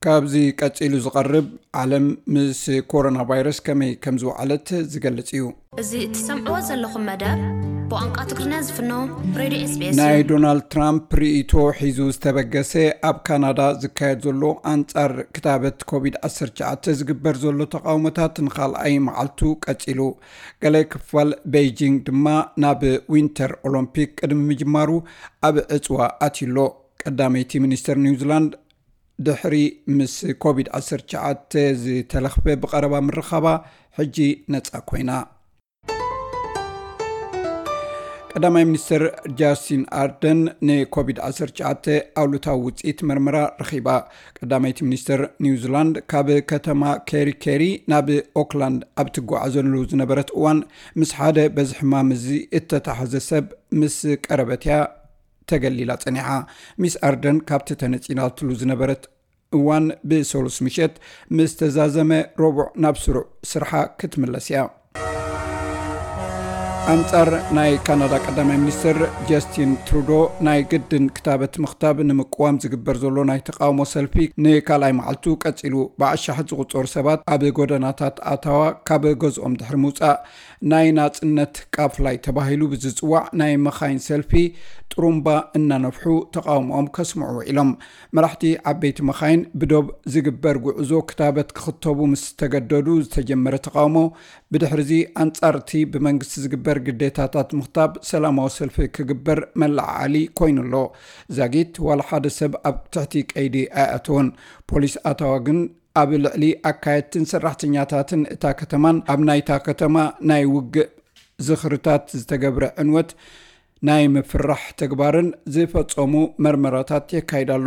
ካብዚ ቀጺሉ ዝቐርብ፣ ዓለም ምስ ኮሮና ቫይረስ ከመይ ከም ዝወዓለት ዝገልጽ እዩ። እዚ እትሰምዕዎ ዘለኹም መደብ ብቋንቋ ትግርኛ ዝፍኖ ሬድዮ ኤስቢኤስ እዩ። ናይ ዶናልድ ትራምፕ ርእይቶ ሒዙ ዝተበገሰ፣ ኣብ ካናዳ ዝካየድ ዘሎ ኣንጻር ክታበት ኮቪድ ዓሰርተ ትሽዓተ ዝግበር ዘሎ ተቓውሞታት ንኻልኣይ መዓልቱ ቀጺሉ። ገለ ክፋል ቤይጂንግ ድማ ናብ ዊንተር ኦሎምፒክ ቅድሚ ምጅማሩ ኣብ ዕጽዋ ኣትዩሎ። ቀዳመይቲ ሚኒስተር ኒውዚላንድ ድሕሪ ምስ ኮቪድ ዓሰርተ ትሽዓተ ዝተለኽፈ ብቐረባ ምርኻባ፣ ሕጂ ነጻ ኮይና። ቀዳማይ ሚኒስተር ጃስቲን ኣርደን ንኮቪድ ዓሰርተ ትሽዓተ ኣሉታዊ ውጽኢት መርመራ ረኺባ። ቀዳመይቲ ሚኒስተር ኒውዚላንድ ካብ ከተማ ኬሪ ኬሪ ናብ ኦክላንድ ኣብ ትጓዓዘሉ ዝነበረት እዋን፣ ምስ ሓደ በዚ ሕማም እዚ እተታሕዘ ሰብ ምስ ቀረበት እያ ተገሊላ ጸኒሓ። ሚስ ኣርደን ካብቲ ተነጺላትሉ ዝነበረት እዋን ብሰሉስ ምሸት ምስ ተዛዘመ፣ ረቡዕ ናብ ስሩዕ ስርሓ ክትምለስ እያ። ኣንጻር ናይ ካናዳ ቀዳማይ ሚኒስትር ጀስቲን ትሩዶ፣ ናይ ግድን ክታበት ምኽታብ ንምቅዋም ዝግበር ዘሎ ናይ ተቃውሞ ሰልፊ ንካልኣይ መዓልቱ ቀጺሉ። ብኣሻሓት ዝቑጸሩ ሰባት ኣብ ጎደናታት ኣታዋ ካብ ገዝኦም ድሕሪ ምውጻእ፣ ናይ ናጽነት ቃፍላይ ተባሂሉ ብዝጽዋዕ ናይ መኻይን ሰልፊ ጥሩምባ እናነፍሑ ተቃውሞኦም ከስምዑ ውዒሎም። መራሕቲ ዓበይቲ መኻይን ብዶብ ዝግበር ጉዕዞ ክታበት ክኽተቡ ምስ ተገደዱ ዝተጀመረ ተቃውሞ፣ ብድሕሪዚ ኣንጻር እቲ ብመንግስቲ ዝግበር ግዴታታት ምኽታብ ሰላማዊ ሰልፊ ክግበር መለዓዓሊ ኮይኑ ኣሎ። ዛጊት ዋላ ሓደ ሰብ ኣብ ትሕቲ ቀይዲ ኣይኣተወን። ፖሊስ ኣታዋ ግን ኣብ ልዕሊ ኣካየድትን ሰራሕተኛታትን እታ ከተማን ኣብ ናይታ ከተማ ናይ ውግእ ዝኽርታት ዝተገብረ ዕንወት ናይ ምፍራሕ ተግባርን ዝፈጸሙ መርመራታት የካይድ ኣሎ።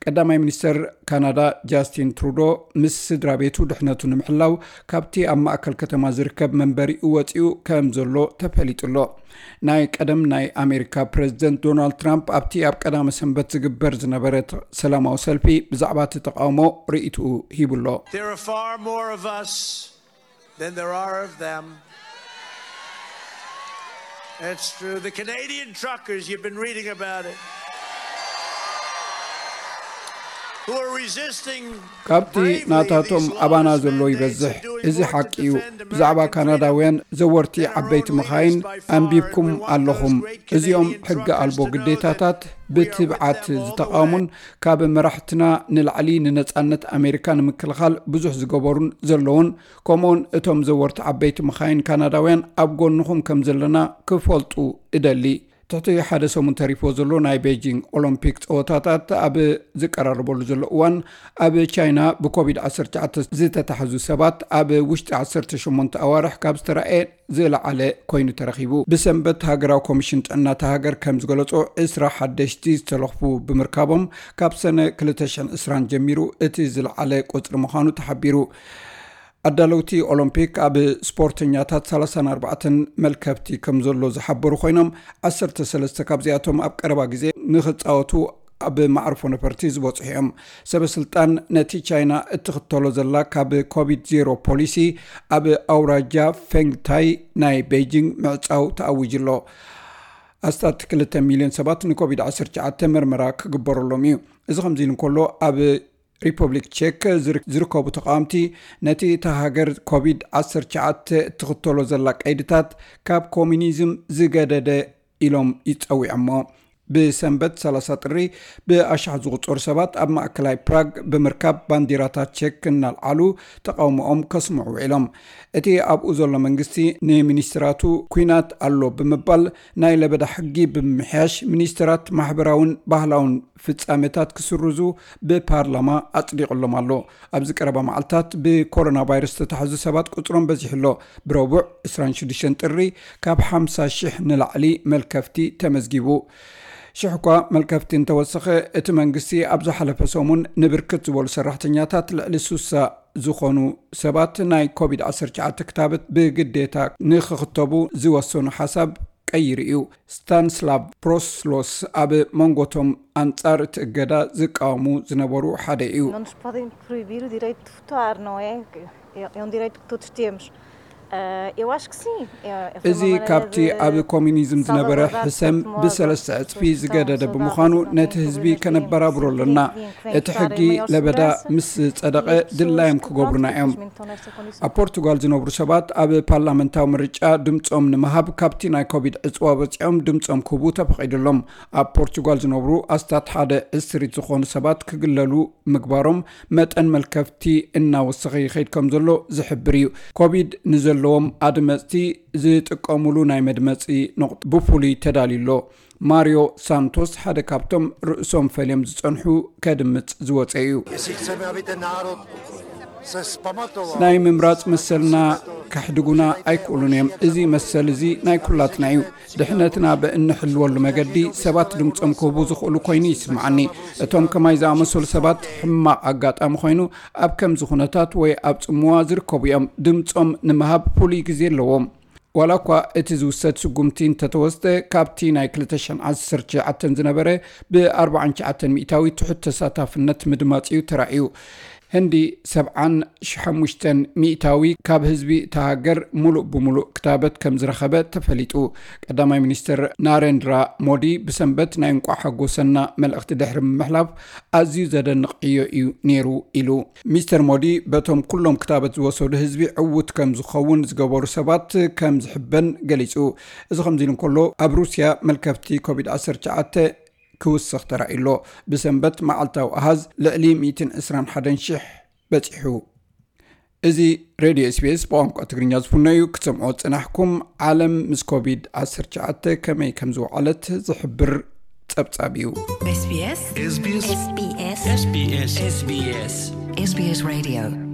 ቀዳማይ ሚኒስተር ካናዳ ጃስቲን ትሩዶ፣ ምስ ስድራ ቤቱ ድሕነቱ ንምሕላው ካብቲ ኣብ ማእከል ከተማ ዝርከብ መንበሪኡ ወጺኡ ከም ዘሎ ተፈሊጡ ኣሎ። ናይ ቀደም ናይ ኣሜሪካ ፕረዚደንት ዶናልድ ትራምፕ ኣብቲ ኣብ ቀዳመ ሰንበት ዝግበር ዝነበረ ተ-፣ ሰላማዊ ሰልፊ ብዛዕባ እቲ ተቃውሞ ርእይትኡ ሂቡ ኣሎ። There are far more of us than there are of them. It's true. The Canadian truckers, you've been reading about it, who are resisting ካብቲ ናታቶም ኣባና ዘሎ ይበዝሕ። እዚ ሓቂ እዩ። ብዛዕባ ካናዳውያን ዘወርቲ ዓበይቲ መኻይን ኣንቢብኩም ኣለኹም። እዚኦም ሕጊ ኣልቦ ግዴታታት ብትብዓት ዝተቓወሙን ካብ መራሕትና ንላዕሊ ንነጻነት ኣሜሪካ ንምክልኻል ብዙሕ ዝገበሩን ዘለውን፣ ከምኡውን እቶም ዘወርቲ ዓበይቲ መኻይን ካናዳውያን ኣብ ጎንኹም ከም ዘለና ክፈልጡ እደሊ። ትሕቲ ሓደ ሰሙን ተሪፎ ዘሎ ናይ ቤጂንግ ኦሎምፒክ ጸወታታት ኣብ ዝቀራረበሉ ዘሎ እዋን፣ ኣብ ቻይና ብኮቪድ ዓሰርተ ትሽዓተ ዝተታሕዙ ሰባት ኣብ ውሽጢ ዓሰርተ ሸሞንተ ኣዋርሕ ካብ ዝተራእየ ዝለዓለ ኮይኑ ተረኺቡ። ብሰንበት ሃገራዊ ኮሚሽን ጥዕና እታ ሃገር ከም ዝገለጾ፣ ዕስራ ሓደሽቲ ዝተለኽፉ ብምርካቦም፣ ካብ ሰነ ክልተ ሽሕን ዕስራን ጀሚሩ እቲ ዝለዓለ ቁጽሪ ምዃኑ ተሓቢሩ። ኣዳለውቲ ኦሎምፒክ ኣብ ስፖርተኛታት ሰላሳን ኣርባዕተን መልከፍቲ ከም ዘሎ ዝሓበሩ ኮይኖም፣ ዓሰርተ ሰለስተ ካብዚኣቶም ኣብ ቀረባ ግዜ ንኽጻወቱ ኣብ መዕርፎ ነፈርቲ ዝበጽሑ እዮም። ሰበ ስልጣን ነቲ ቻይና እትኽተሎ ዘላ ካብ ኮቪድ ዜሮ ፖሊሲ ኣብ ኣውራጃ ፌንግታይ ናይ ቤጂንግ ምዕጻው ተኣዊጁ ኣሎ። ኣስታት ክልተ ሚልዮን ሰባት ንኮቪድ ዓሰርተ ትሽዓተ መርመራ ክግበረሎም እዩ። እዚ ከምዚ ኢሉ እንከሎ፣ ኣብ ሪፐብሊክ ቼክ ዝር-፣ ዝርከቡ ተቃወምቲ፣ ነቲ እታ ሃገር ኮቪድ ዓሰርተ ትሽዓተ እትኽተሎ ዘላ ቀይድታት ካብ ኮሚኒዝም ዝገደደ ኢሎም ይጸዊዖሞ። ብሰንበት ሰላሳ ጥሪ ብኣሽሓት ዝቑጸሩ ሰባት ኣብ ማእከላይ ፕራግ ብምርካብ ባንዲራታት ቼክ እናልዓሉ ተቃውሞኦም ከስምዑ ውዒሎም። እቲ ኣብኡ ዘሎ መንግስቲ ንሚኒስትራቱ ኲናት ኣሎ ብምባል ናይ ለበዳ ሕጊ ብምምሕያሽ ሚኒስትራት ማሕበራውን ባህላውን ፍጻሜታት ክስርዙ ብፓርላማ ኣጽዲቑሎም ኣሎ። ኣብዚ ቀረባ መዓልታት ብኮሮና ቫይረስ ዝተታሕዙ ሰባት ቁጽሮም በዚሑ ኣሎ። ብረቡዕ ዕስራን ሽዱሽተን ጥሪ ካብ ሓምሳ ሽሕ ንላዕሊ መልከፍቲ ተመዝጊቡ። ሽሕ እኳ መልከፍቲ እንተወሰኸ፣ እቲ መንግስቲ ኣብ ዝሓለፈ ሰሙን ንብርክት ዝበሉ ሰራሕተኛታት ልዕሊ ሱሳ ዝኾኑ ሰባት ናይ ኮቪድ ዓሰርተ ትሽዓተ ክታበት ብግዴታ ንኽኽተቡ ዝወሰኑ ሓሳብ ቀይሩ እዩ። ስታንስላቭ ፕሮስሎስ ኣብ መንጎቶም ኣንጻር እቲ እገዳ ዝቃወሙ ዝነበሩ ሓደ እዩ። Não nos podem proibir o direito de votar, não é? É é um direito que todos temos. እዚ ካብቲ ኣብ ኮሚኒዝም ዝነበረ ሕሰም ብሰለስተ ዕጽፊ ዝገደደ ብምዃኑ ነቲ ህዝቢ ከነበራብሮ ኣለና። እቲ ሕጊ ለበዳ ምስ ጸደቐ ድላዮም ክገብሩና እዮም። ኣብ ፖርቱጋል ዝነብሩ ሰባት ኣብ ፓርላመንታዊ ምርጫ ድምጾም ንምሃብ ካብቲ ናይ ኮቪድ ዕጽዋ ወጺኦም ድምጾም ክህቡ ተፈቒዱሎም። ኣብ ፖርቱጋል ዝነብሩ ኣስታት ሓደ ዕስሪት ዝኾኑ ሰባት ክግለሉ ምግባሮም መጠን መልከፍቲ እናወሰኸ ይኸይድ ከም ዘሎ ዝሕብር እዩ። ኮቪድ ንዘለዎም ኣድመፅቲ ዝጥቀሙሉ ናይ መድመፂ ነቑጥ ብፍሉይ ተዳልዩ ኣሎ። ማሪዮ ሳንቶስ ሓደ ካብቶም ርእሶም ፈልዮም ዝፀንሑ ከድምፅ ዝወፀ እዩ። ናይ ምምራፅ መሰልና ከሕድጉና ኣይክእሉን እዮም። እዚ መሰል እዚ ናይ ኩላትና እዩ። ድሕነትና ብእንሕልወሉ መገዲ ሰባት ድምፆም ክህቡ ዝኽእሉ ኮይኑ ይስምዓኒ። እቶም ከማይ ዝኣመሰሉ ሰባት ሕማቕ ኣጋጣሚ ኮይኑ ኣብ ከምዚ ኩነታት ወይ ኣብ ጽምዋ ዝርከቡ እዮም። ድምፆም ንምሃብ ፍሉይ ግዜ ኣለዎም። ዋላ እኳ እቲ ዝውሰድ ስጉምቲ እንተተወስደ ካብቲ ናይ ክልተ ሽሕን ዓሰርተ ትሽዓተን ዝነበረ ብ ኣርባዓን ትሽዓተን ሚእታዊ ትሑት ተሳታፍነት ምድማፅ እዩ ተራእዩ። ህንዲ ሰብዓን ሓሙሽተን ሚእታዊ ካብ ህዝቢ እታ ሃገር ሙሉእ ብሙሉእ ክታበት ከም ዝረኸበ ተፈሊጡ። ቀዳማይ ሚኒስትር ናሬንድራ ሞዲ ብሰንበት ናይ እንቋዕ ሓጎሰና መልእኽቲ ድሕሪ ምምሕላፍ ኣዝዩ ዘደንቕ ዕዮ እዩ ነይሩ ኢሉ። ሚስተር ሞዲ በቶም ኩሎም ክታበት ዝወሰዱ ህዝቢ ዕዉት ከም ዝኸውን ዝገበሩ ሰባት ከም ዝሕበን ገሊጹ። እዚ ከምዚ ኢሉ እንከሎ ኣብ ሩስያ መልከፍቲ ኮቪድ ዓሰርተ ትሽዓተ ክውስኽ ተራእዩ ኣሎ። ብሰንበት መዓልታዊ ኣሃዝ ልዕሊ ሚእትን ዕስራን ሓደን ሽሕ በጺሑ። እዚ ሬድዮ ኤስቢኤስ ብቋንቋ ትግርኛ ዝፍኖ እዩ። ክትሰምዖ ዝጸናሕኩም ዓለም ምስ ኮቪድ ዓሰርተ ትሽዓተ ከመይ ከም ዝወዓለት ዝሕብር ጸብጻብ እዩ። SBS SBS SBS SBS SBS SBS Radio